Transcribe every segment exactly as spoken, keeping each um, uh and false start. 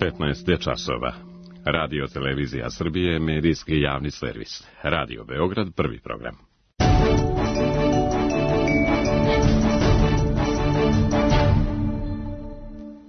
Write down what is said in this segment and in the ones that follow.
petnaest je časova. Radio Televizija Srbije, medijski javni servis. Radio Beograd, prvi program.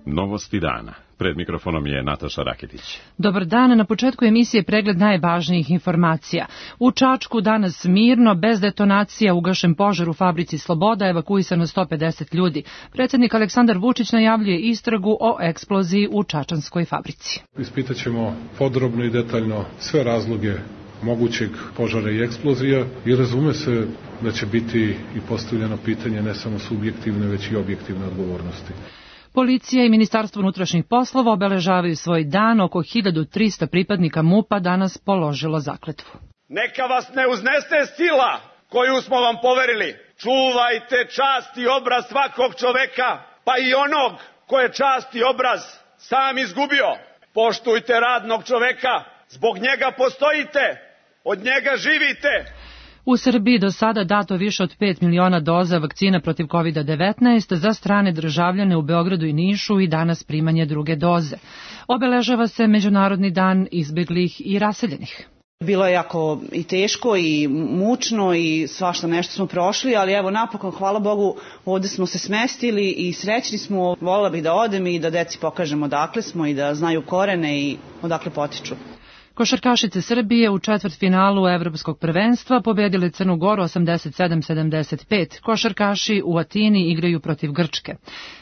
Novosti dana. Pred mikrofonom je Nataša Raketić. Dobar dan, na početku emisije pregled najvažnijih informacija. U Čačku danas mirno, bez detonacija, ugašen požar u fabrici Sloboda, evakuisano sto pedeset ljudi. Predsjednik Aleksandar Vučić najavljuje istragu o eksploziji u čačanskoj fabrici. Ispitaćemo podrobno i detaljno sve razloge mogućeg požara i eksplozija i razume se da će biti i postavljeno pitanje ne samo subjektivne, već i objektivne odgovornosti. Policija i Ministarstvo unutrašnjih poslova obeležavaju svoj dan. Oko hiljadu trista pripadnika MUP-a danas položilo zakletvu. Neka vas ne uznese sila koju smo vam poverili. Čuvajte čast i obraz svakog čoveka, pa i onog ko je čast i obraz sam izgubio. Poštujte radnog čoveka, zbog njega postojite, od njega živite. U Srbiji do sada dato više od pet miliona doza vakcina protiv kovid devetnaest za strane državljane u Beogradu i Nišu i danas primanje druge doze. Obeležava se Međunarodni dan izbeglih i raseljenih. Bilo je jako i teško i mučno i svašta nešto smo prošli, ali evo napokon, hvala Bogu, ovde smo se smestili i srećni smo. Volela bih da odem i da deci pokažemo odakle smo i da znaju korene i odakle potiču. Košarkašice Srbije u četvrtfinalu Evropskog prvenstva pobedile Crnu Goru osamdeset sedam sedamdeset pet. Košarkaši u Atini igraju protiv Grčke.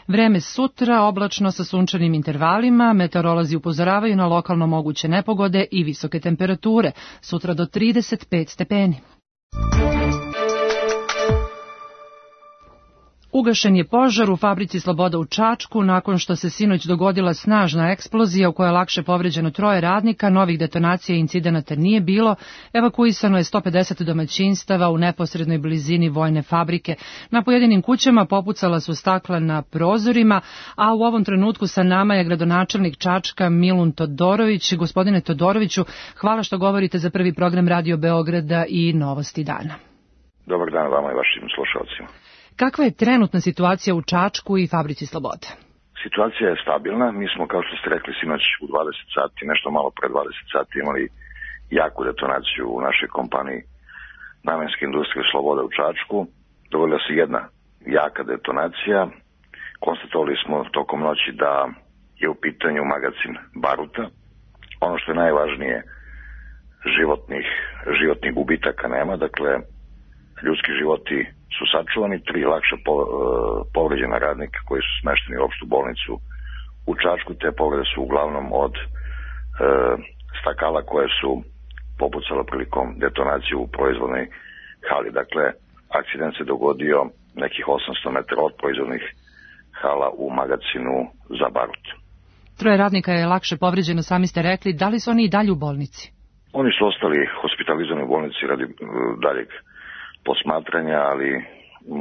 Vreme sutra oblačno sa sunčanim intervalima, meteorolozi upozoravaju na lokalno moguće nepogode i visoke temperature, sutra do trideset pet stepeni. Ugašen je požar u fabrici Sloboda u Čačku nakon što se sinoć dogodila snažna eksplozija u kojoj je lakše povređeno troje radnika, novih detonacija i incidenata nije bilo, evakuisano je sto pedeset domaćinstava u neposrednoj blizini vojne fabrike. Na pojedinim kućama popucala su stakla na prozorima, a u ovom trenutku sa nama je gradonačelnik Čačka Milun Todorović. Gospodine Todoroviću, hvala što govorite za prvi program Radio Beograda i Novosti dana. Dobar dan vama i vašim slušalcima. Kakva je trenutna situacija u Čačku i fabrici Sloboda? Situacija je stabilna. Mi smo, kao što ste rekli, sinoć u dvadeset sati, nešto malo pre dvadeset sati, imali jaku detonaciju u našoj kompaniji Namenske industrije Sloboda u Čačku. Dogodila se jedna jaka detonacija. Konstatovali smo tokom noći da je u pitanju magacin baruta. Ono što je najvažnije, životnih, životnih gubitaka nema, dakle, ljudski životi su sačuvani, tri lakše povređena radnika koji su smešteni u opštu bolnicu u Čačku. Te povrede su uglavnom od e, stakala koje su popucala prilikom detonacije u proizvodnoj hali. Dakle, akcident se dogodio nekih osamsto metara od proizvodnih hala u magacinu za barut. Troje radnika je lakše povređeno, sami ste rekli. Da li su oni i dalje u bolnici? Oni su ostali hospitalizovani u bolnici radi uh, daljeg posmatranja, ali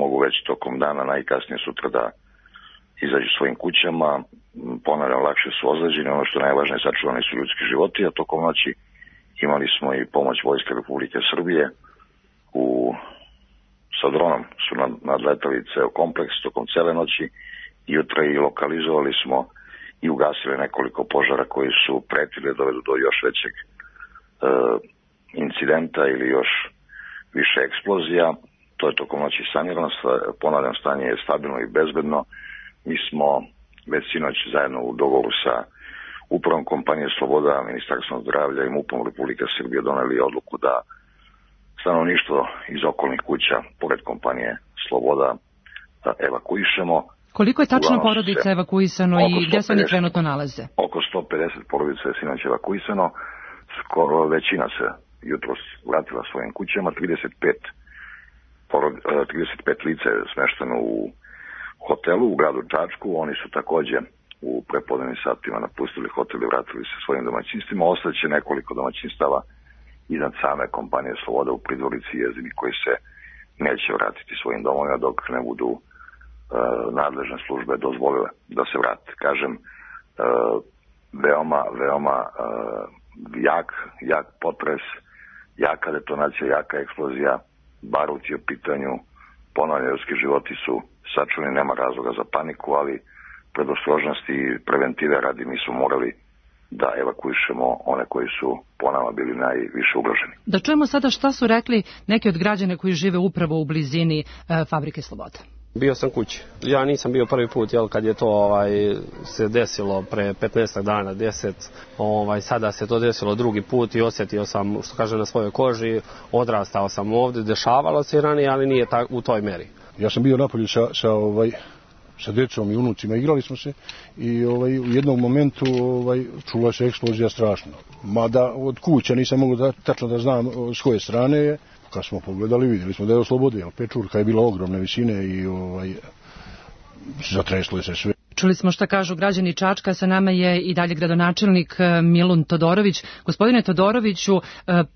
mogu već tokom dana, najkasnije sutra, da izađu svojim kućama. Ponavljam, lakše su ozleđeni, ono što je najvažnije, sačuvani su ljudski životi, a tokom noći imali smo i pomoć Vojske Republike Srbije. U, sa dronom su nadletali ceo kompleks tokom cele noći i jutra i lokalizovali smo i ugasili nekoliko požara koji su pretili da dovedu do još većeg e, incidenta ili još više eksplozija. To je tokom noći sanirano, ponavljam, stanje je stabilno i bezbedno. Mi smo već sinoć zajedno u dogovoru sa upravom kompanije Sloboda, Ministarstvom zdravlja i MUP-om Republike Srbije doneli odluku da stanovništvo iz okolnih kuća, pored kompanije Sloboda, da evakuišemo. Koliko je tačno porodica evakuisano i gdje se oni trenutno nalaze? Oko sto pedeset porodica je sinoć evakuisano, skoro većina se jutros vratila svojim kućama, trideset pet, trideset pet lica je smešteno u hotelu u gradu Čačku. Oni su takođe u prepodnevnim satima napustili hotel i vratili se svojim domaćinstvima. Ostaće nekoliko domaćinstava iznad same kompanije Sloboda u Pridvorici i Jezini koji se neće vratiti svojim domovima dok ne budu uh, nadležne službe dozvolile da se vrate. Kažem, uh, veoma, veoma uh, jak, jak potres, jaka detonacija, jaka eksplozija, barut je u pitanju, ponavljam, ljudski životi su sačuvani, nema razloga za paniku, ali predostrožnosti i preventive radi mi smo morali da evakuišemo one koji su po nama bili najviše ugroženi. Da čujemo sada šta su rekli neki od građana koji žive upravo u blizini e, Fabrike Sloboda. Bio sam kući. Ja nisam bio prvi put, jel, kad je to ovaj, se desilo pre petnaest dana, deset, ovaj, sada se to desilo drugi put i osjetio sam, što kaže, na svojoj koži, odrastao sam ovdje, dešavalo se ranije, ali nije ta, u toj meri. Ja sam bio napolju sa, sa, ovaj, sa djecom i unucima, igrali smo se i ovaj, u jednom momentu ovaj, čula se eksplozija strašno. Mada od kuća nisam mogu da, tačno da znam s koje strane je. Kad smo pogledali, vidjeli smo da je oslobodio. Pečurka je bila ogromne visine i ovaj, zatreslo je se sve. Čuli smo šta kažu građani Čačka, sa nama je i dalje gradonačelnik Milun Todorović. Gospodine Todoroviću,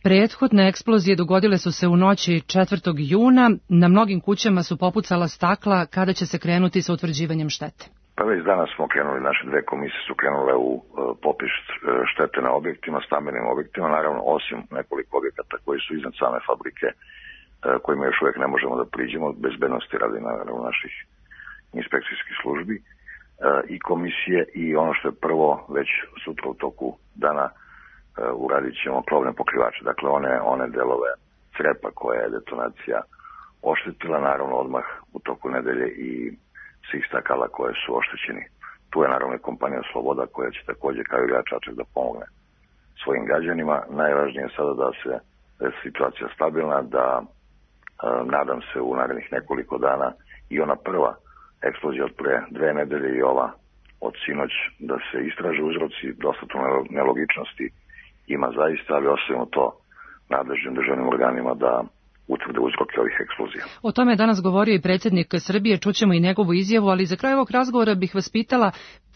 prethodne eksplozije dogodile su se u noći četvrtog juna. Na mnogim kućama su popucala stakla. Kada će se krenuti sa utvrđivanjem štete? Pa već danas smo krenuli, naše dve komisije su krenule u popis štete na objektima, stambenim objektima, naravno osim nekoliko objekata koji su iznad same fabrike, kojima još uvijek ne možemo da priđemo, bezbednosti radi naravno naših inspekcijskih službi i komisije, i ono što je prvo, već sutra u toku dana uradit ćemo krovne pokrivače, dakle one, one delove crepa koje je detonacija oštetila, naravno odmah u toku nedelje i svih stakala koje su oštećeni. Tu je naravno i kompanija Sloboda koja će također kao i grad Čačak da pomogne svojim građanima. Najvažnije je sada da se da je situacija stabilna, da e, nadam se u narednih nekoliko dana i ona prva eksplozija od pre dve nedelje i ova od sinoć da se istraže uzroci, dosta tu nelogičnosti ima zaista, ali ostavimo to nadležnim državnim organima da utvrde uzroke ovih eksplozija. O tome je danas govorio i predsjednik Srbije, čućemo i njegovu izjavu, ali za kraj ovog razgovora bih vas pitala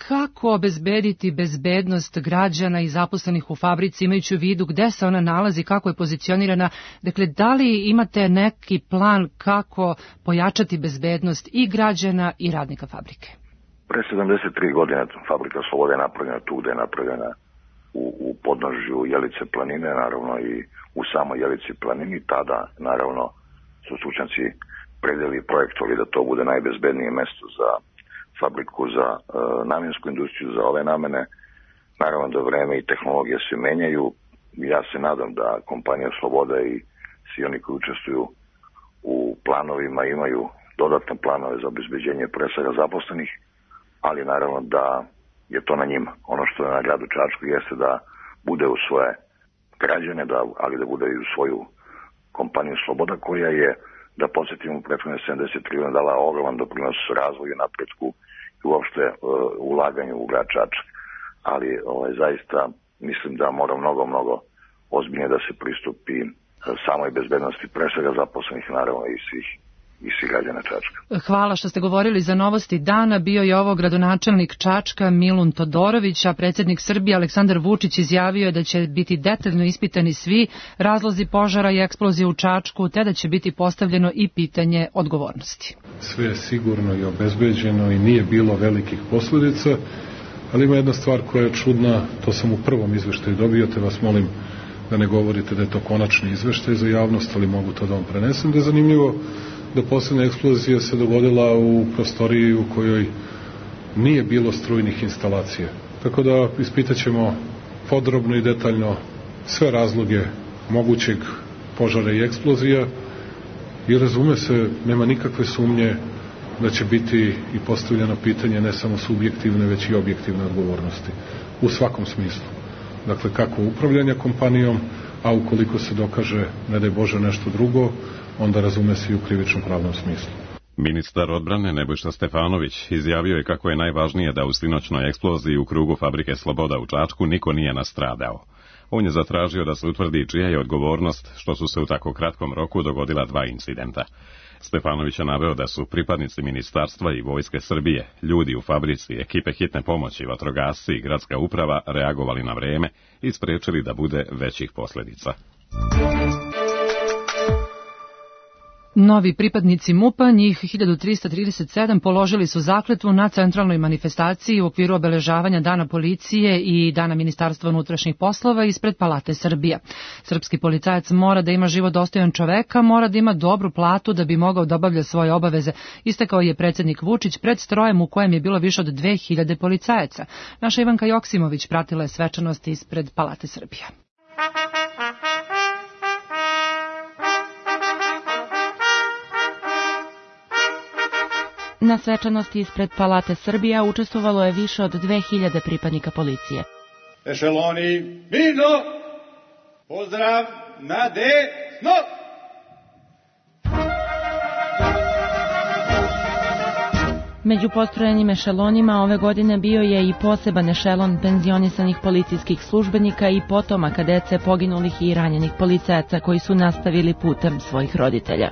kako obezbediti bezbednost građana i zaposlenih u fabrici, imajući u vidu gde se ona nalazi, kako je pozicionirana. Dakle, da li imate neki plan kako pojačati bezbednost i građana i radnika fabrike? Pre sedamdeset tri godine Fabrika Slobode je napravljena tu gde je napravljena u, u podnožju Jelice planine, naravno i u samoj Jelici planini. Tada, naravno, su stručnjaci predeli i projektovali da to bude najbezbednije mesto za fabriku, za e, namjensku industriju, za ove namene. Naravno da vreme i tehnologije se menjaju. Ja se nadam da kompanija Sloboda i svi oni koji učestvuju u planovima imaju dodatne planove za obezbeđenje pre svega zaposlenih, ali naravno da je to na njima. Ono što je na gradu Čačku jeste da bude u svoje građane, da, ali da bude i u svoju kompaniju Sloboda, koja je, da podsjetimo, u prethodne sedamdeset tri godine dala ogroman doprinos razvoju, napretku i uopšte uh, ulaganju u grad Čačak. Ali ovaj, zaista mislim da mora mnogo, mnogo ozbiljnije da se pristupi uh, samoj bezbednosti, pre svega zaposlenih, naravno i svih i svih građana Čačka. Hvala što ste govorili za novosti dana. Bio je ovo gradonačelnik Čačka Milun Todorović, a predsjednik Srbije Aleksandar Vučić izjavio je da će biti detaljno ispitani svi razlozi požara i eksplozije u Čačku, te da će biti postavljeno i pitanje odgovornosti. Sve je sigurno i obezbeđeno i nije bilo velikih posljedica, ali ima jedna stvar koja je čudna, to sam u prvom izveštaju dobio, te vas molim da ne govorite da je to konačni izveštaj za javnost, ali mogu to da vam prenesem, da je zanimljivo da posljednja eksplozija se dogodila u prostoriji u kojoj nije bilo strujnih instalacija. Tako da ispitat ćemo podrobno i detaljno sve razloge mogućeg požara i eksplozija i razume se, nema nikakve sumnje da će biti i postavljeno pitanje ne samo subjektivne, već i objektivne odgovornosti. U svakom smislu. Dakle, kako upravljanja kompanijom, a ukoliko se dokaže, ne daj Bože, nešto drugo, onda razume se i u krivičnom pravnom smislu. Ministar odbrane Nebojša Stefanović izjavio je kako je najvažnije da u sinoćnoj eksploziji u krugu Fabrike Sloboda u Čačku niko nije nastradao. On je zatražio da se utvrdi čija je odgovornost što su se u tako kratkom roku dogodila dva incidenta. Stefanović je naveo da su pripadnici ministarstva i vojske Srbije, ljudi u fabrici, ekipe hitne pomoći, vatrogasci i gradska uprava reagovali na vreme i spriječili da bude većih posljedica. Novi pripadnici MUP-a, njih hiljadu trista trideset sedam, položili su zakletvu na centralnoj manifestaciji u okviru obeležavanja Dana policije i Dana Ministarstva unutrašnjih poslova ispred Palate Srbija. Srpski policajac mora da ima život dostojan čoveka, mora da ima dobru platu da bi mogao da obavlja svoje obaveze, istakao je predsjednik Vučić pred strojem u kojem je bilo više od dve hiljade policajaca. Naša Ivanka Joksimović pratila je svečanost ispred Palate Srbija. Na svečanosti ispred Palate Srbija učestvovalo je više od dve hiljade pripadnika policije. Ešeloni, mirno, pozdrav na desno. Među postrojenim ešelonima ove godine bio je i poseban ešelon penzionisanih policijskih službenika i potomaka dece poginulih i ranjenih policajaca koji su nastavili putem svojih roditelja.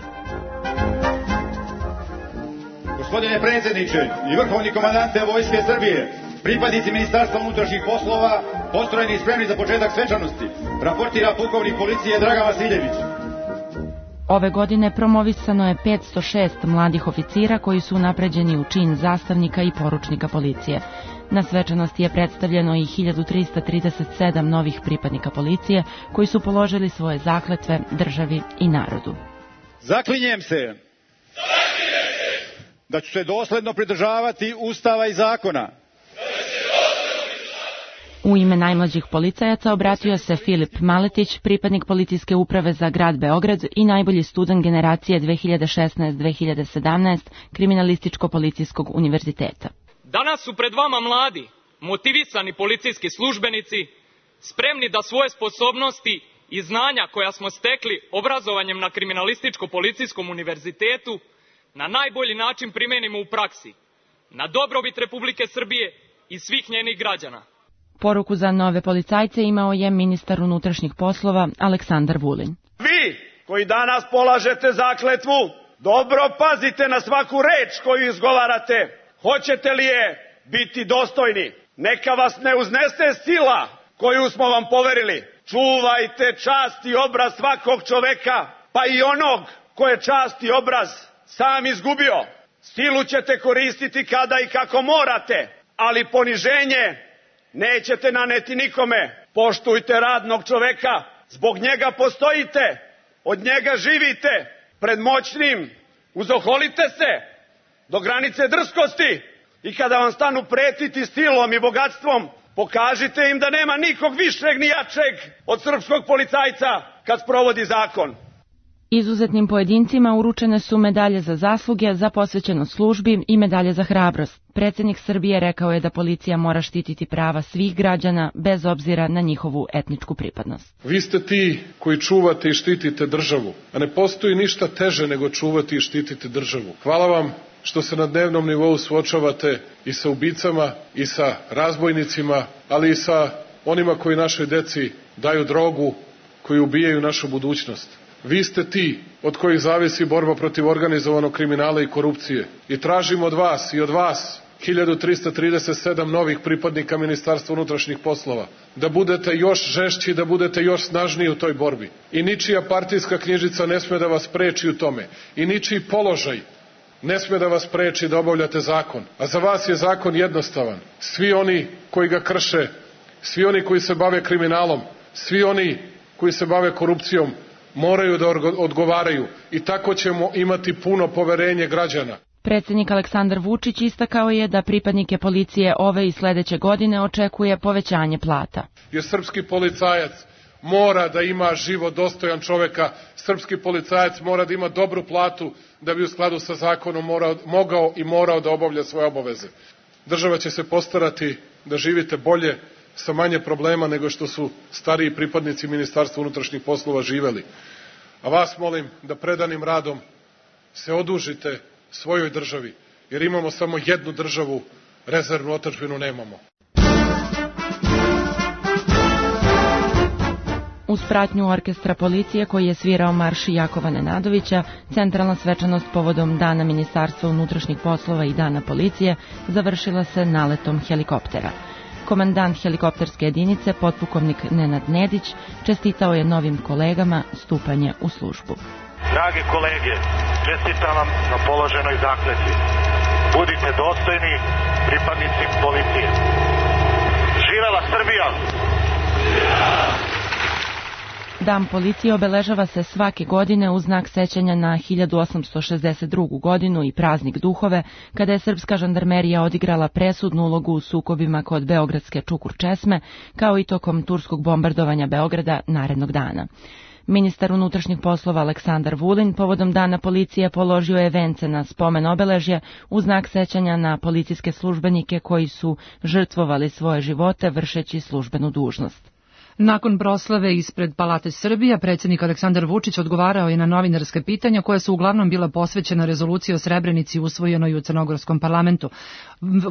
Gospodine predsjedniče i vrhovni komandante Vojske Srbije, pripadnici Ministarstva unutrašnjih poslova, postrojeni i spremni za početak svečanosti, raportira pukovnik policije Dragan Vasiljević. Ove godine promovisano je petsto šest mladih oficira koji su unapređeni u čin zastavnika i poručnika policije. Na svečanosti je predstavljeno i hiljadu trista trideset sedam novih pripadnika policije koji su položili svoje zakletve državi i narodu. Zaklinjem se da ću se dosledno pridržavati Ustava i zakona. U ime najmlađih policajaca obratio se Filip Maletić, pripadnik policijske uprave za grad Beograd i najbolji student generacije dve hiljade šesnaest dve hiljade sedamnaest Kriminalističko-policijskog univerziteta. Danas su pred vama mladi, motivisani policijski službenici, spremni da svoje sposobnosti i znanja koja smo stekli obrazovanjem na Kriminalističko-policijskom univerzitetu na najbolji način primenimo u praksi, na dobrobit Republike Srbije i svih njenih građana. Poruku za nove policajce imao je ministar unutrašnjih poslova Aleksandar Vulin. Vi koji danas polažete zakletvu, dobro pazite na svaku reč koju izgovarate. Hoćete li je biti dostojni? Neka vas ne uznese sila koju smo vam poverili. Čuvajte čast i obraz svakog čoveka, pa i onog ko je čast i obraz sam izgubio. Silu ćete koristiti kada i kako morate, ali poniženje nećete naneti nikome. Poštujte radnog čoveka, zbog njega postojite, od njega živite. Pred moćnim uzoholite se do granice drskosti i kada vam stanu pretiti stilom i bogatstvom, pokažite im da nema nikog višeg ni jačeg od srpskog policajca kad sprovodi zakon. Izuzetnim pojedincima uručene su medalje za zasluge, za posvećenost službi i medalje za hrabrost. Predsjednik Srbije rekao je da policija mora štititi prava svih građana bez obzira na njihovu etničku pripadnost. Vi ste ti koji čuvate i štitite državu, a ne postoji ništa teže nego čuvati i štititi državu. Hvala vam što se na dnevnom nivou suočavate i sa ubicama i sa razbojnicima, ali i sa onima koji našoj deci daju drogu, koji ubijaju našu budućnost. Vi ste ti od kojih zavisi borba protiv organizovanog kriminala i korupcije. I tražimo od vas i od vas hiljadu trista trideset sedam novih pripadnika Ministarstva unutrašnjih poslova da budete još žešći, da budete još snažniji u toj borbi. I ničija partijska knjižica ne sme da vas preči u tome. I ničiji položaj ne sme da vas preči da obavljate zakon. A za vas je zakon jednostavan. Svi oni koji ga krše, svi oni koji se bave kriminalom, svi oni koji se bave korupcijom, moraju da odgovaraju i tako ćemo imati puno poverenje građana. Predsjednik Aleksandar Vučić istakao je da pripadnike policije ove i sledeće godine očekuje povećanje plata. Jer srpski policajac mora da ima život dostojan čoveka, srpski policajac mora da ima dobru platu da bi u skladu sa zakonom morao, mogao i morao da obavlja svoje obaveze. Država će se postarati da živite bolje, sa manje problema nego što su stariji pripadnici Ministarstva unutrašnjih poslova živeli. A vas molim da predanim radom se odužite svojoj državi, jer imamo samo jednu državu, rezervnu otadžbinu nemamo. Uz pratnju orkestra policije koji je svirao marš Jakova Nenadovića, centralna svečanost povodom Dana Ministarstva unutrašnjih poslova i Dana policije završila se naletom helikoptera. Komandant helikopterske jedinice, potpukovnik Nenad Nedić, čestitao je novim kolegama stupanje u službu. Drage kolege, čestitam vam na položenoj zakletvi. Budite dostojni pripadnici policije. Živela Srbija! Dan policije obeležava se svake godine u znak sećanja na hiljadu osamsto šezdeset drugu godinu i praznik Duhove, kada je srpska žandarmerija odigrala presudnu ulogu u sukobima kod beogradske Čukur česme, kao i tokom turskog bombardovanja Beograda narednog dana. Ministar unutrašnjih poslova Aleksandar Vulin povodom dana policije položio je vence na spomen obeležje u znak sećanja na policijske službenike koji su žrtvovali svoje živote vršeći službenu dužnost. Nakon proslave ispred Palate Srbija, predsjednik Aleksandar Vučić odgovarao je na novinarske pitanja koja su uglavnom bila posvećena rezoluciji o Srebrenici usvojenoj u crnogorskom parlamentu.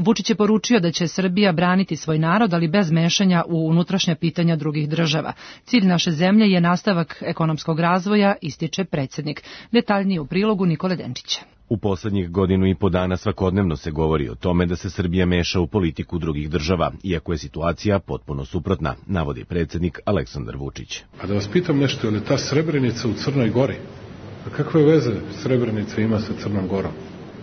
Vučić je poručio da će Srbija braniti svoj narod, ali bez mešanja u unutrašnja pitanja drugih država. Cilj naše zemlje je nastavak ekonomskog razvoja, ističe predsjednik. Detaljnije u prilogu Nikole Denčića. U poslednjih godinu i po dana svakodnevno se govori o tome da se Srbija meša u politiku drugih država, iako je situacija potpuno suprotna, navodi predsjednik Aleksandar Vučić. A da vas pitam nešto, je li ta Srebrenica u Crnoj Gori? A kakve veze Srebrenica ima sa Crnom Gorom?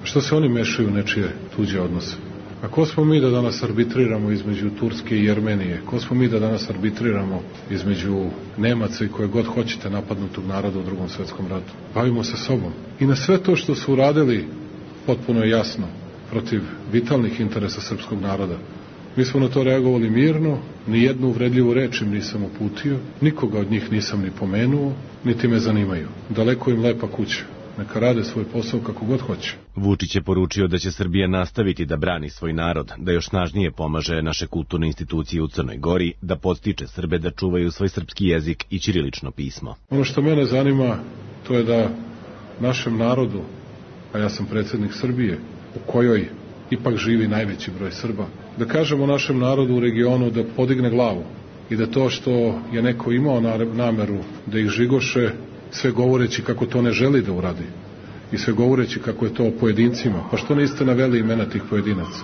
Što se oni mešaju u nečije tuđe odnose? A ko smo mi da danas arbitriramo između Turske i Jermenije? Ko smo mi da danas arbitriramo između Nemaca i koje god hoćete napadnutog naroda u drugom svetskom ratu? Bavimo se sobom. I na sve to što su uradili, potpuno je jasno, protiv vitalnih interesa srpskog naroda. Mi smo na to reagovali mirno, ni jednu uvredljivu reč im nisam uputio, nikoga od njih nisam ni pomenuo, niti me zanimaju. Daleko im lepa kuća. Neka rade svoj posao kako god hoće. Vučić je poručio da će Srbija nastaviti da brani svoj narod, da još snažnije pomaže naše kulturne institucije u Crnoj Gori, da podstiče Srbe da čuvaju svoj srpski jezik i ćirilično pismo. Ono što mene zanima, to je da našem narodu, a ja sam predsjednik Srbije, u kojoj ipak živi najveći broj Srba, da kažemo našem narodu u regionu da podigne glavu i da to što je neko imao nameru da ih žigoše, sve govoreći kako to ne želi da uradi i sve govoreći kako je to o pojedincima. Pa što niste naveli imena tih pojedinaca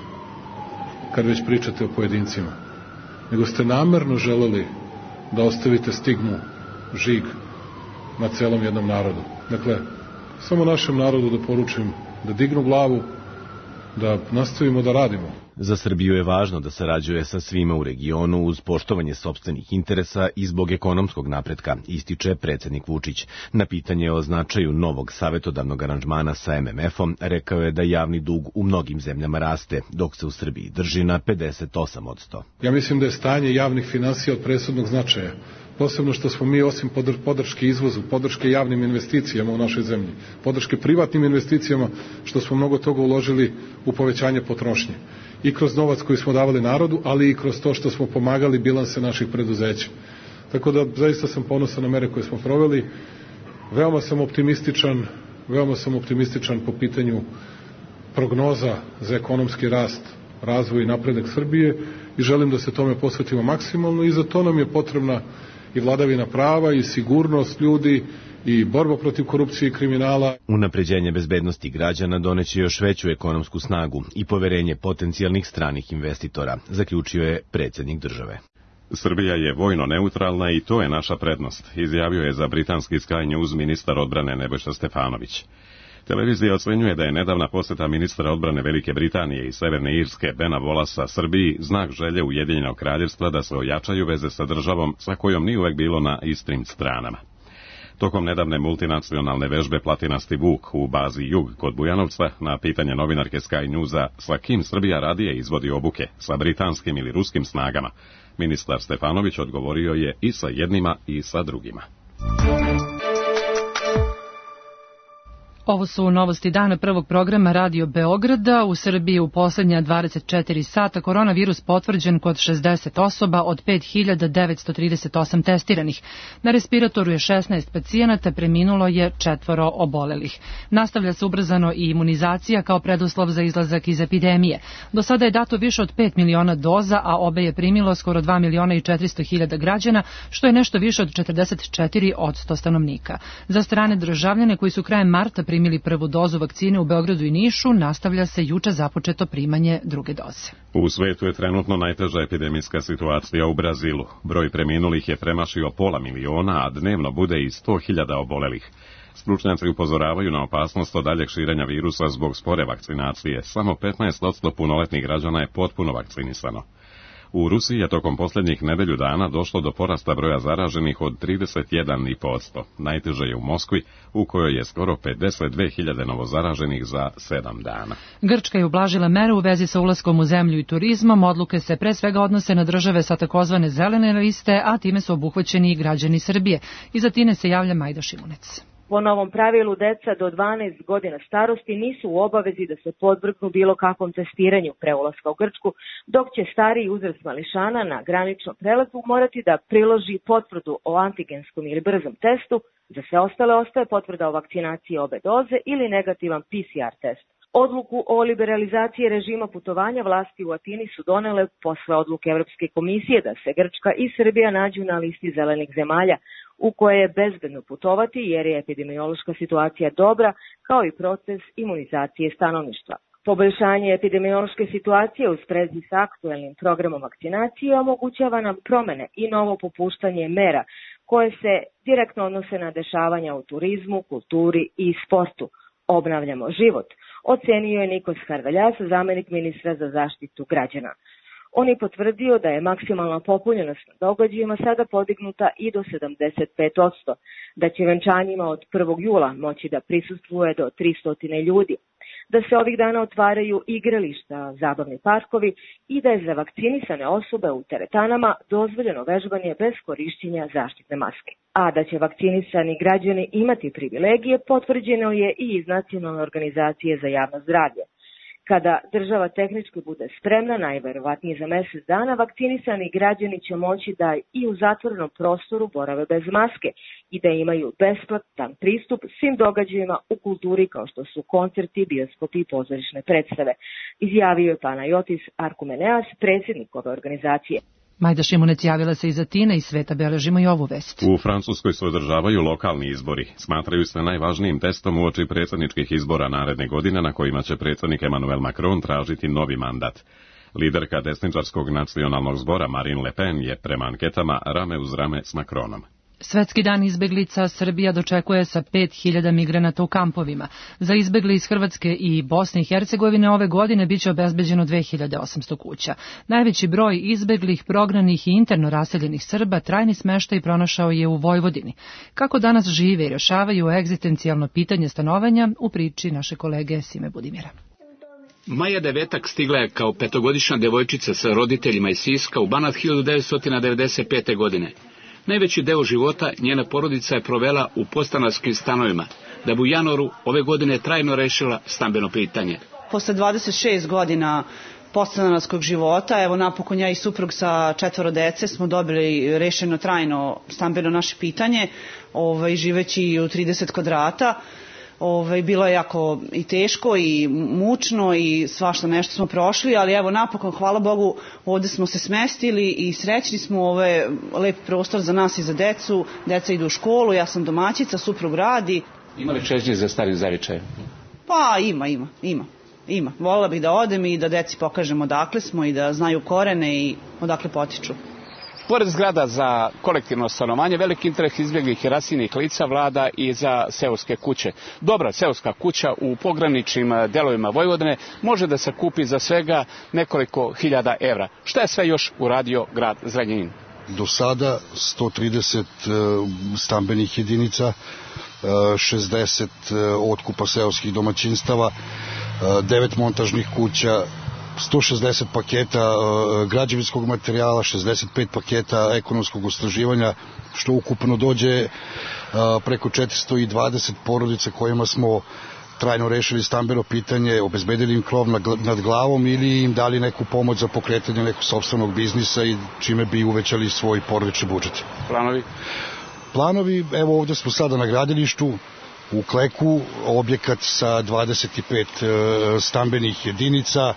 kad već pričate o pojedincima? Nego ste namerno želeli da ostavite stigmu, žig na celom jednom narodu. Dakle, samo našem narodu da poručim da dignu glavu, da nastavimo da radimo. Za Srbiju je važno da sarađuje sa svima u regionu uz poštovanje sopstvenih interesa i zbog ekonomskog napretka, ističe predsjednik Vučić. Na pitanje o značaju novog savetodavnog aranžmana sa em em efom rekao je da javni dug u mnogim zemljama raste, dok se u Srbiji drži na pedeset osam posto. Ja mislim da je stanje javnih finansija od presudnog značaja. Posebno što smo mi osim podrške izvozu, podrške javnim investicijama u našoj zemlji, podrške privatnim investicijama, što smo mnogo toga uložili u povećanje potrošnje. I kroz novac koji smo davali narodu, ali i kroz to što smo pomagali bilanse naših preduzeća. Tako da zaista sam ponosan na mere koje smo proveli. Veoma sam optimističan, veoma sam optimističan po pitanju prognoza za ekonomski rast, razvoj i napredak Srbije i želim da se tome posvetimo maksimalno i za to nam je potrebna i vladavina prava i sigurnost ljudi i borba protiv korupcije i kriminala. Unapređenje bezbednosti građana doneće još veću ekonomsku snagu i poverenje potencijalnih stranih investitora, zaključio je predsjednik države. Srbija je vojno neutralna i to je naša prednost, izjavio je za britanski Sky News ministar odbrane Nebojša Stefanović. Televizija ocenjuje da je nedavna posjeta ministra odbrane Velike Britanije i Severne Irske Bena Wallace Srbiji znak želje Ujedinjenog kraljevstva da se ojačaju veze sa državom sa kojom nije uvek bilo na istim stranama. Tokom nedavne multinacionalne vežbe Platinasti Vuk u bazi Jug kod Bujanovca, na pitanje novinarke Sky Newsa sa kim Srbija radije izvodi obuke, sa britanskim ili ruskim snagama, ministar Stefanović odgovorio je i sa jednima i sa drugima. Ovo su novosti dana prvog programa Radio Beograda. U Srbiji u posljednja dvadeset četiri sata koronavirus potvrđen kod šezdeset osoba od pet hiljada devetsto trideset osam testiranih. Na respiratoru je šesnaest pacijenata, preminulo je četvoro obolelih. Nastavlja se ubrzano i imunizacija kao preduslov za izlazak iz epidemije. Do sada je dato više od pet miliona doza, a obe je primilo skoro dva miliona i četiristo hiljada građana, što je nešto više od četrdeset četiri posto stanovnika. Za strane državljane koji su krajem marta primili prvu dozu vakcine u Beogradu i Nišu, nastavlja se juče započeto primanje druge doze. U svetu je trenutno najteža epidemijska situacija u Brazilu. Broj preminulih je premašio pola miliona, a dnevno bude i sto hiljada obolelih. Stručnjaci upozoravaju na opasnost od daljeg širenja virusa zbog spore vakcinacije. Samo petnaest posto punoletnih građana je potpuno vakcinisano. U Rusiji je tokom posljednjih nedelju dana došlo do porasta broja zaraženih od trideset jedan zarez pet posto. Najteže je u Moskvi, u kojoj je skoro pedeset dve hiljade novozaraženih za sedam dana. Grčka je ublažila mere u vezi sa ulaskom u zemlju i turizmom. Odluke se pre svega odnose na države sa takozvane zelene liste, a time su obuhvaćeni i građani Srbije. Iz Atine se javlja Majda Šimunec. Po novom pravilu, deca do dvanaest godina starosti nisu u obavezi da se podvrgnu bilo kakvom testiranju pre ulaska u Grčku, dok će stariji uzrast mališana na graničnom prelazu morati da priloži potvrdu o antigenskom ili brzom testu, za sve ostale ostaje potvrda o vakcinaciji obe doze ili negativan P C R test. Odluku o liberalizaciji režima putovanja vlasti u Atini su donele posle odluke Evropske komisije da se Grčka i Srbija nađu na listi zelenih zemalja, u koje je bezbedno putovati jer je epidemiološka situacija dobra, kao i proces imunizacije stanovništva. Poboljšanje epidemiološke situacije u sprezi sa aktuelnim programom vakcinacije omogućava nam promene i novo popuštanje mera koje se direktno odnose na dešavanja u turizmu, kulturi i sportu. Obnavljamo život, ocenio je Nikos Harveljas, zamenik ministra za zaštitu građana. On je potvrdio da je maksimalna popunjenost na događajima sada podignuta i do sedamdeset pet posto, da će venčanjima od prvog jula moći da prisustvuje do tristo ljudi, da se ovih dana otvaraju igrališta, zabavni parkovi i da je za vakcinisane osobe u teretanama dozvoljeno vežbanje bez korišćenja zaštitne maske. A da će vakcinisani građani imati privilegije potvrđeno je i iz Nacionalne organizacije za javno zdravlje. Kada država tehnički bude spremna, najverovatnije za mjesec dana, vakcinisani građani će moći da i u zatvorenom prostoru borave bez maske i da imaju besplatan pristup svim događajima u kulturi kao što su koncerti, bioskopi i pozorišne predstave, izjavio je Panayotis Arkumeneas, predsjednik ove organizacije. Majda Šimunec javila se iz Atine i sveta, beležimo i ovu vest. U Francuskoj se održavaju lokalni izbori. Smatraju se najvažnijim testom uoči predsjedničkih izbora naredne godine na kojima će predsjednik Emmanuel Macron tražiti novi mandat. Liderka desničarskog nacionalnog zbora Marine Le Pen je prema anketama rame uz rame s Macronom. Svetski dan izbeglica Srbija dočekuje sa pet hiljada migranata u kampovima. Za izbegli iz Hrvatske i Bosne i Hercegovine ove godine biće obezbeđeno dve hiljade osamsto kuća. Najveći broj izbeglih, prognanih i interno raseljenih Srba trajni smeštaj pronašao je u Vojvodini. Kako danas žive i rješavaju egzistencijalno pitanje stanovanja u priči naše kolege Sime Budimira. Maja Devetak stigla je kao petogodišnja devojčica sa roditeljima iz Siska u Banat hiljadu devetsto devedeset pete. godine. Najveći deo života njena porodica je provela u podstanarskim stanovima, da bi u januaru ove godine trajno rešila stambeno pitanje. Posle dvadeset šest godina podstanarskog života, evo napokon ja i suprug sa četvoro dece smo dobili rešeno trajno stambeno naše pitanje, ovaj, živeći u trideset kvadrata. Ove, bilo je jako i teško i mučno i svašta nešto smo prošli, ali evo napokon, hvala Bogu, ovde smo se smestili i srećni smo, ovo je lep prostor za nas i za decu, deca idu u školu, ja sam domaćica, suprug radi. Ima li čežnje za starim zavičajem? Pa ima, ima, ima, ima. Voljela bih da odem i da deci pokažemo odakle smo i da znaju korene i odakle potiču. Pored zgrada za kolektivno stanovanje, veliki interes izbjeglih i raseljenih lica vlada i za seoske kuće. Dobra seoska kuća u pograničnim delovima Vojvodine može da se kupi za svega nekoliko hiljada evra. Šta je sve još uradio grad Zrenjanin? Do sada sto trideset stambenih jedinica, šezdeset otkupa seoskih domaćinstava, devet montažnih kuća, sto šezdeset paketa građevinskog materijala, šezdeset pet paketa ekonomskog istraživanja, što ukupno dođe preko četiristo dvadeset porodica kojima smo trajno rešili stambeno pitanje, obezbedili im krov nad glavom ili im dali neku pomoć za pokretanje nekog sopstvenog biznisa i čime bi uvećali svoj porodični budžet. Planovi? Planovi, evo ovde smo sada na gradilištu, u Kleku, objekat sa dvadeset pet stambenih jedinica.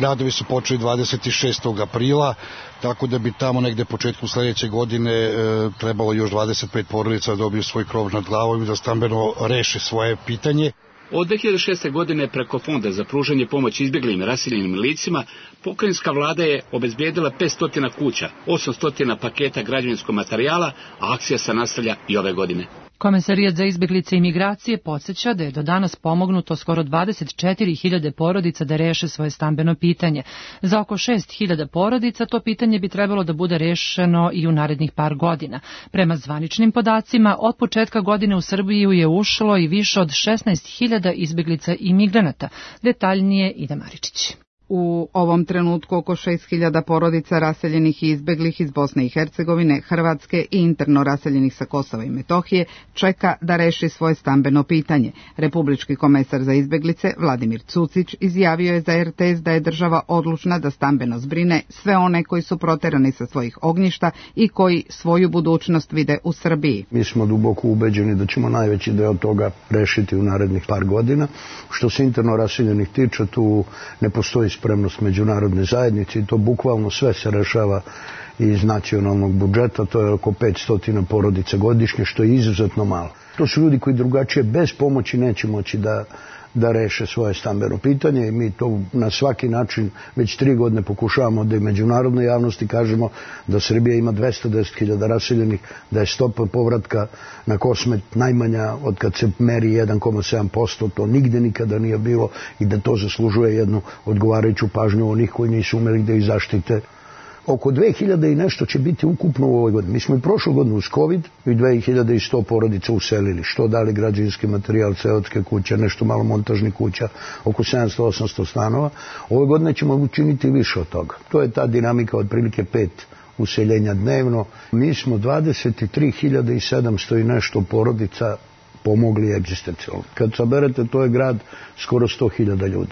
Radovi su počeli dvadeset šestog aprila, tako da bi tamo negde početku sledeće godine trebalo još dvadeset pet porodica da dobiju svoj krov nad glavom i da stambeno reše svoje pitanje. Od dve hiljade šeste. godine preko Fonda za pružanje pomoći izbjeglim i raseljenim licima, pokrajinska vlada je obezbijedila petsto kuća, osamsto paketa građevinskog materijala, a akcija se nastavlja i ove godine. Komesarijat za izbeglice i migracije podsjeća da je do danas pomognuto skoro dvadeset četiri hiljade porodica da reše svoje stambeno pitanje. Za oko šest hiljada porodica to pitanje bi trebalo da bude rešeno i u narednih par godina. Prema zvaničnim podacima, od početka godine u Srbiju je ušlo i više od šesnaest hiljada izbeglica i migranata. Detaljnije Ida Maričić. U ovom trenutku oko šest hiljada porodica raseljenih i izbeglih iz Bosne i Hercegovine, Hrvatske i interno raseljenih sa Kosova i Metohije čeka da reši svoje stambeno pitanje. Republički komesar za izbeglice Vladimir Cucić izjavio je za er te es da je država odlučna da stambeno zbrine sve one koji su proterani sa svojih ognjišta i koji svoju budućnost vide u Srbiji. Mi smo duboko ubeđeni da ćemo najveći deo toga rešiti u narednih par godina. Što se interno raseljenih tiče, tu ne postoji spremnost međunarodne zajednice i to bukvalno sve se rešava iz nacionalnog budžeta, to je oko petsto porodica godišnje, što je izuzetno malo. To su ljudi koji drugačije bez pomoći neće moći da, da reše svoje stambeno pitanje i mi to na svaki način već tri godine pokušavamo da i međunarodnoj javnosti kažemo da Srbija ima dvesta deset hiljada raseljenih, da je stopa povratka na Kosmet najmanja od kad se meri jedan zarez sedam posto, to nigde nikada nije bilo i da to zaslužuje jednu odgovarajuću pažnju onih koji nisu umeli da ih zaštite. Oko dve hiljade i nešto će biti ukupno u ovoj godini. Mi smo i prošlu godinu uz COVID i dve hiljade sto porodica uselili, što dali građevinski materijal, seotske kuće, nešto malo montažnih kuća, oko sedamsto osamsto stanova. Ove godine ćemo učiniti više od toga. To je ta dinamika od prilike pet useljenja dnevno. Mi smo dvadeset tri hiljade sedamsto i nešto porodica pomogli egzistencijalno. Kad saberete, to je grad skoro sto hiljada ljudi.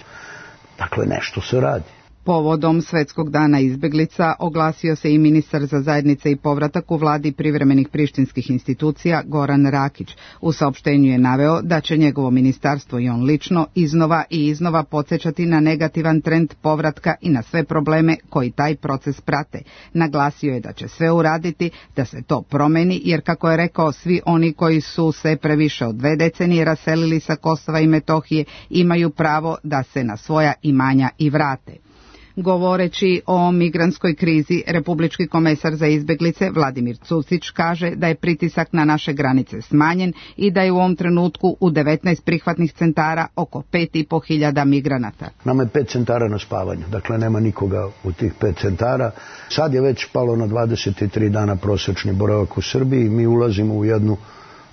Dakle, nešto se radi. Povodom Svetskog dana izbeglica oglasio se i ministar za zajednice i povratak u vladi privremenih prištinskih institucija Goran Rakić. U saopštenju je naveo da će njegovo ministarstvo i on lično iznova i iznova podsjećati na negativan trend povratka i na sve probleme koji taj proces prate. Naglasio je da će sve uraditi da se to promeni, jer kako je rekao, svi oni koji su se previše od dve decenije raselili sa Kosova i Metohije imaju pravo da se na svoja imanja i vrate. Govoreći o migrantskoj krizi, republički komesar za izbeglice Vladimir Cucić kaže da je pritisak na naše granice smanjen i da je u ovom trenutku u devetnaest prihvatnih centara oko pet i po hiljada migranata. Nama je pet centara na spavanju, dakle nema nikoga u tih pet centara. Sad je već palo na dvadeset tri dana prosečni boravak u Srbiji i mi ulazimo u jednu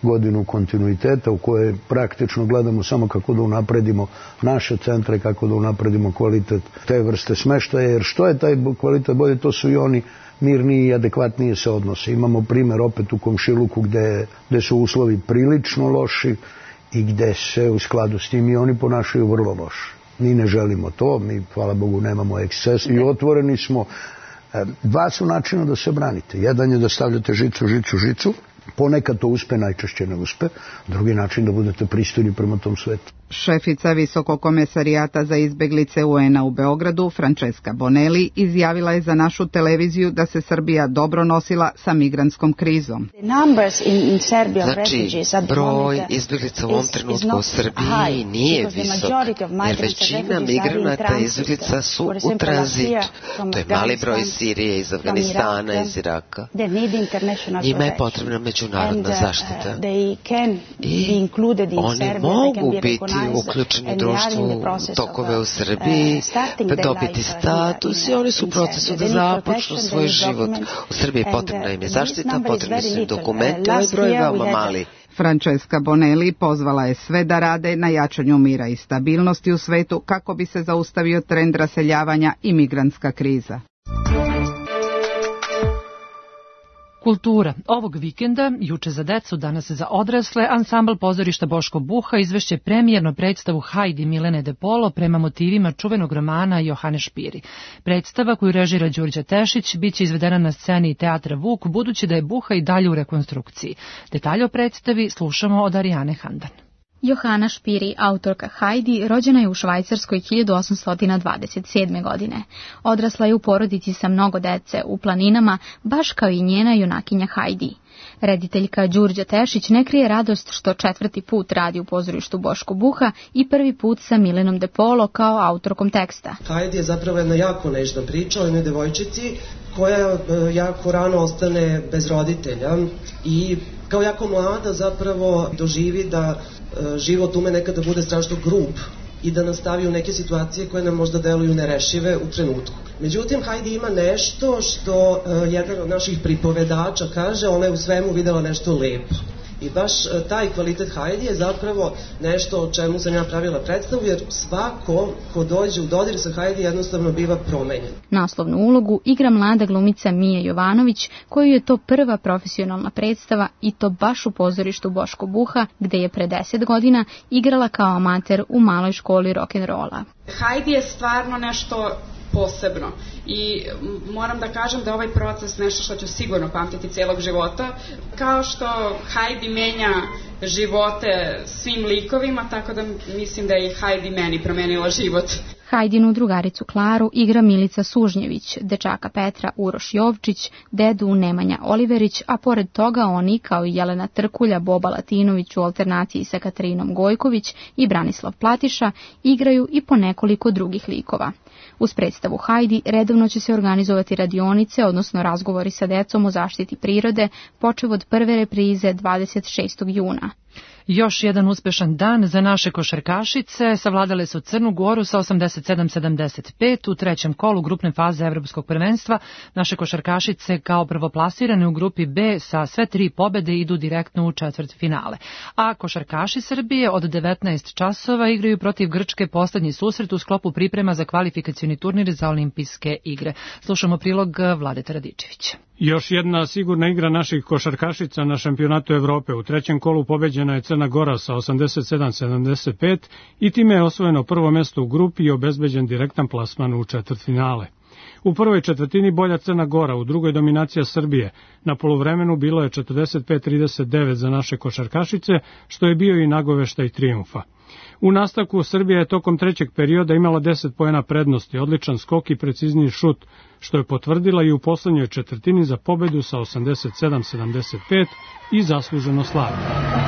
godinu kontinuiteta u kojoj praktično gledamo samo kako da unapredimo naše centre, kako da unapredimo kvalitet te vrste smeštaja, jer što je taj kvalitet bolje, to su i oni mirniji i adekvatnije se odnose. Imamo primer opet u Komšiluku gde, gde su uslovi prilično loši i gde se u skladu s tim i oni ponašaju vrlo loše. Mi ne želimo to, mi, hvala Bogu, nemamo eksces i otvoreni smo. Dva su načina da se branite. Jedan je da stavljate žicu, žicu, žicu. Ponekad to uspe, najčešće ne uspe. Drugi način da budete pristojni prema tom svetu. Šefica Visokog komesarijata za izbeglice u en a u Beogradu, Francesca Bonelli, izjavila je za našu televiziju da se Srbija dobro nosila sa migrantskom krizom. Znači, broj izbeglica u ovom trenutku u Srbiji nije visok, jer većina migranata i izbeglica su u tranzitu. To je mali broj Sirije, iz Afganistana, iz Iraka. Njima je potrebna međunarodna zaštita. I oni mogu biti uključeni u društvu, tokove u Srbiji, dobiti status i oni su u procesu da započnu svoj život. U Srbiji potrebna im je zaštita, potrebni su im dokumenti, ovaj broj je veoma mali. Francesca Bonelli pozvala je sve da rade na jačanju mira i stabilnosti u svetu kako bi se zaustavio trend raseljavanja i migrantska kriza. Kultura. Ovog vikenda, juče za decu, danas za odrasle, ansambl pozorišta Boško Buha izvešće premijernu predstavu Hajdi Milene de Polo prema motivima čuvenog romana Johane Špiri. Predstava koju režira Đurđa Tešić biće izvedena na sceni Teatra Vuk, budući da je Buha i dalje u rekonstrukciji. Detalje o predstavi slušamo od Arijane Handan. Johana Špiri, autorka Hajdi, rođena je u Švajcarskoj hiljadu osamsto dvadeset sedme. godine. Odrasla je u porodici sa mnogo dece u planinama, baš kao i njena junakinja Hajdi. Rediteljka Đurđa Tešić ne krije radost što četvrti put radi u pozorištu Boško Buha i prvi put sa Milenom de Polo kao autorkom teksta. Hajdi je zapravo jedna jako nežna priča o jednoj devojčici koja jako rano ostane bez roditelja i kao jako mlada zapravo doživi da e, život ume nekada bude strašno grub i da nas stavi u neke situacije koje nam možda deluju nerešive u trenutku. Međutim, Heidi ima nešto što e, jedan od naših pripovedača kaže, ona je u svemu videla nešto lepo. I baš taj kvalitet Heidi je zapravo nešto o čemu sam ja pravila predstavu, jer svako ko dođe u dodir sa Heidi jednostavno biva promenjen. Naslovnu ulogu igra mlada glumica Mija Jovanović, koju je to prva profesionalna predstava i to baš u pozorištu Boško Buha, gde je pre deset godina igrala kao amater u maloj školi rock'n'rolla. Heidi je stvarno nešto posebno i moram da kažem da ovaj proces nešto što ću sigurno pamtiti cijelog života, kao što Heidi menja živote svim likovima, tako da mislim da je i Heidi meni promenila život. Hajdinu drugaricu Klaru igra Milica Sužnjević, dečaka Petra Uroš Jovčić, dedu Nemanja Oliverić, a pored toga oni, kao i Jelena Trkulja, Boba Latinović u alternaciji sa Katarinom Gojković i Branislav Platiša, igraju i po nekoliko drugih likova. Uz predstavu Heidi redovno će se organizovati radionice, odnosno razgovori sa decom o zaštiti prirode, počev od prve reprize dvadeset šestog juna. Još jedan uspešan dan za naše košarkašice. Savladale su Crnu Goru sa osamdeset sedam sedamdeset pet u trećem kolu grupne faze Evropskog prvenstva. Naše košarkašice kao prvoplasirane u grupi B sa sve tri pobede idu direktno u četvrtfinale. A košarkaši Srbije od devetnaest časova igraju protiv Grčke poslednji susret u sklopu priprema za kvalifikacioni turnir za olimpijske igre. Slušamo prilog Vladeta Radičevića. Još jedna sigurna igra naših košarkašica na šampionatu Evrope. U trećem kolu pobeđena je Crna Gora sa osamdeset sedam sedamdeset pet i time je osvojeno prvo mesto u grupi i obezbeđen direktan plasman u četvrtfinale. U prvoj četvrtini bolja Crna Gora, u drugoj dominacija Srbije. Na poluvremenu bilo je četrdeset pet trideset devet za naše košarkašice, što je bio i nagoveštaj trijumfa. U nastavku Srbija je tokom trećeg perioda imala deset poena prednosti, odličan skok i precizniji šut, što je potvrdila i u poslednjoj četvrtini za pobedu sa osamdeset sedam sedamdeset pet i zasluženo slavila.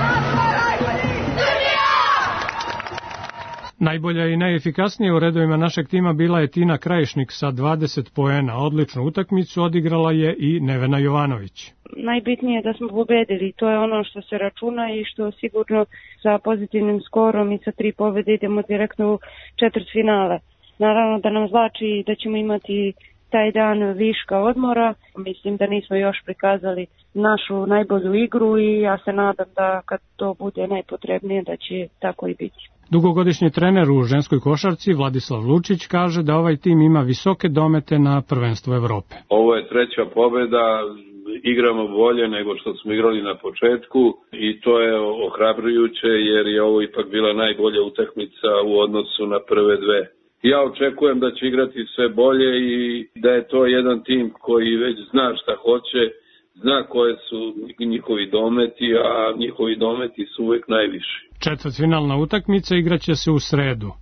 Najbolja i najefikasnija u redovima našeg tima bila je Tina Krajišnik sa dvadeset poena. Odličnu utakmicu odigrala je i Nevena Jovanović. Najbitnije je da smo pobedili, to je ono što se računa i što sigurno sa pozitivnim skorom i sa tri pobede idemo direktno u četvrtfinale. Naravno da nam znači da ćemo imati taj dan viška odmora. Mislim da nismo još prikazali našu najbolju igru i ja se nadam da kad to bude najpotrebnije da će tako i biti. Dugogodišnji trener u ženskoj košarci Vladislav Lučić kaže da ovaj tim ima visoke domete na prvenstvo Evrope. Ovo je treća pobeda, igramo bolje nego što smo igrali na početku i to je ohrabrujuće jer je ovo ipak bila najbolja utakmica u odnosu na prve dve. Ja očekujem da će igrati sve bolje i da je to jedan tim koji već zna šta hoće, zna koje su njihovi dometi, a njihovi dometi su uvek najviši. Četvrtfinalna utakmica igraće se u sredu.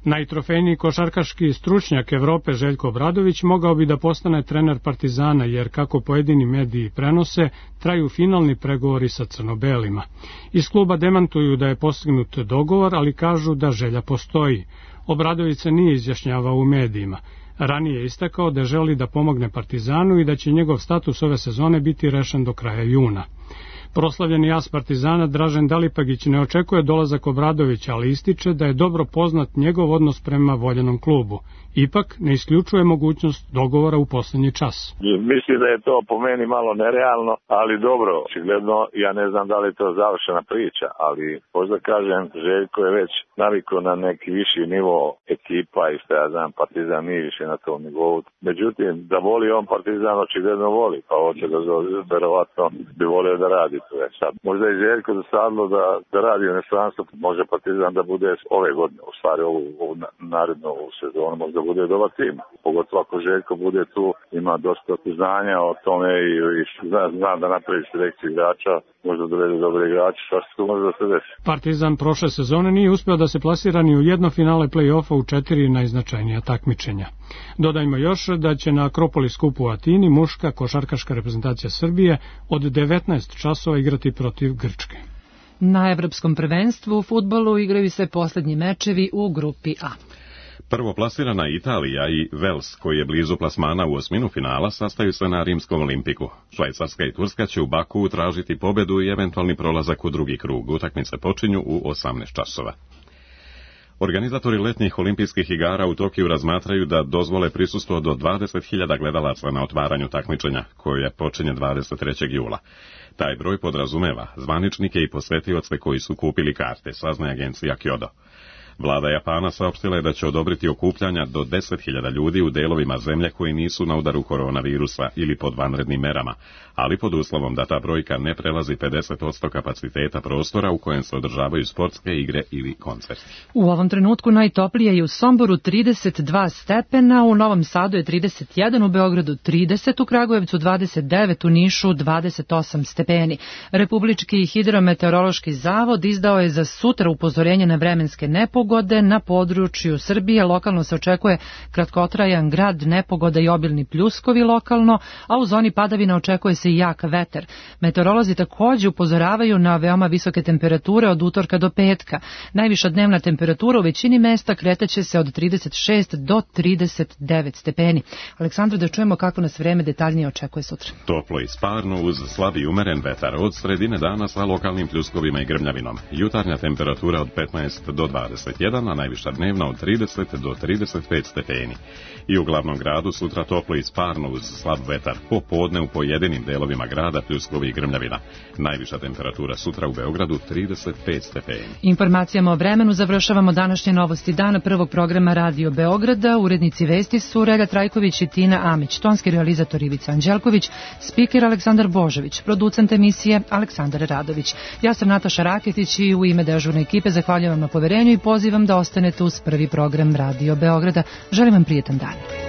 Najtrofejniji košarkaški stručnjak Evrope Željko Obradović mogao bi da postane trener Partizana, jer kako pojedini mediji prenose, traju finalni pregovori sa crno-belima. Iz kluba demantuju da je postignut dogovor, ali kažu da želja postoji. Obradović se nije izjašnjavao u medijima. Ranije je istakao da želi da pomogne Partizanu i da će njegov status ove sezone biti rešen do kraja juna. Proslavljeni as Partizana Dražen Dalipagić ne očekuje dolazak Obradovića, ali ističe da je dobro poznat njegov odnos prema voljenom klubu. Ipak ne isključuje mogućnost dogovora u poslednji čas. Mislim da je to po meni malo nerealno, ali dobro, očigledno ja ne znam da li je to završena priča, ali možda kažem Željko je već navikao na neki viši nivo ekipa i što ja znam Partizan nije više na tom nivou. Međutim, da voli on Partizan očigledno voli, pa hoće da verovatno bi volio da radi to je sad. Možda je Željko dosadilo da, da radi u inostranstvu, može Partizan da bude ove godine, u stvari ovu, ovu narednu ovu sezonu, možda bude dobar tim. Pogotovo ako Željko bude tu, ima dosta znanja o tome i, i zna, zna da napravi selekciju igrača, možda dovede dobre igrače, šta se tu može da se desi. Partizan prošle sezone nije uspeo da se plasira ni u jedno finale play-offa u četiri najznačajnija takmičenja. Dodajmo još da će na Akropolis kupu u Atini muška košarkaška reprezentacija Srbije od devetnaest časova igrati protiv Grčke. Na evropskom prvenstvu u fudbalu igraju se poslednji mečevi u grupi A. Prvoplasirana Italija i Vels, koji je blizu plasmana u osminu finala, sastaju se na Rimskom Olimpiku. Švajcarska i Turska će u Bakuu tražiti pobedu i eventualni prolazak u drugi krug. Utakmice počinju u osamnaest časova. Organizatori letnjih olimpijskih igara u Tokiju razmatraju da dozvole prisustvo do dvadeset hiljada gledalaca na otvaranju takmičenja, koje počinje dvadeset trećeg jula. Taj broj podrazumeva zvaničnike i posvetioce koji su kupili karte, saznaje agencija Kyodo. Vlada Japana saopštila je da će odobriti okupljanja do deset hiljada ljudi u delovima zemlje koji nisu na udaru koronavirusa ili pod vanrednim merama, ali pod uslovom da ta brojka ne prelazi pedeset posto kapaciteta prostora u kojem se održavaju sportske igre ili koncerti. U ovom trenutku najtoplije je u Somboru trideset dva stepena, u Novom Sadu je trideset jedan, u Beogradu trideset, u Kragujevcu dvadeset devet, u Nišu dvadeset osam stepeni. Republički hidrometeorološki zavod izdao je za sutra upozorenje na vremenske nepogode. Na području Srbije lokalno se očekuje kratkotrajan grad, nepogoda i obilni pljuskovi lokalno, a u zoni padavina očekuje se i jak vetar. Meteorolozi takođe upozoravaju na veoma visoke temperature od utorka do petka. Najviša dnevna temperatura u većini mesta kretaće se od trideset šest do trideset devet stepeni. Aleksandra, da čujemo kako nas vreme detaljnije očekuje sutra. Toplo i sparno uz slab i umeren vetar od sredine dana sa lokalnim pljuskovima i grmljavinom. Jutarnja temperatura od petnaest do dvadeset jedan, a najviša dnevna od trideset do trideset pet stepeni. I u glavnom gradu sutra toplo i sparno uz slab vetar, popodne u pojedinim delovima grada pljuskovi i grmljavina. Najviša temperatura sutra u Beogradu trideset pet stepeni. Informacijama o vremenu završavamo današnje novosti dana prvog programa Radio Beograda. Urednici vesti su Relja Trajković i Tina Amić, tonski realizator Ivica Anđelković, spiker Aleksandar Božović, producent emisije Aleksandar Radović. Ja sam Nataša Raketić i u ime dežurne ekipe zahvaljujem vam na poverenju i pozivam da ostanete uz prvi program Radio Beograda. Želim vam prijetan dan.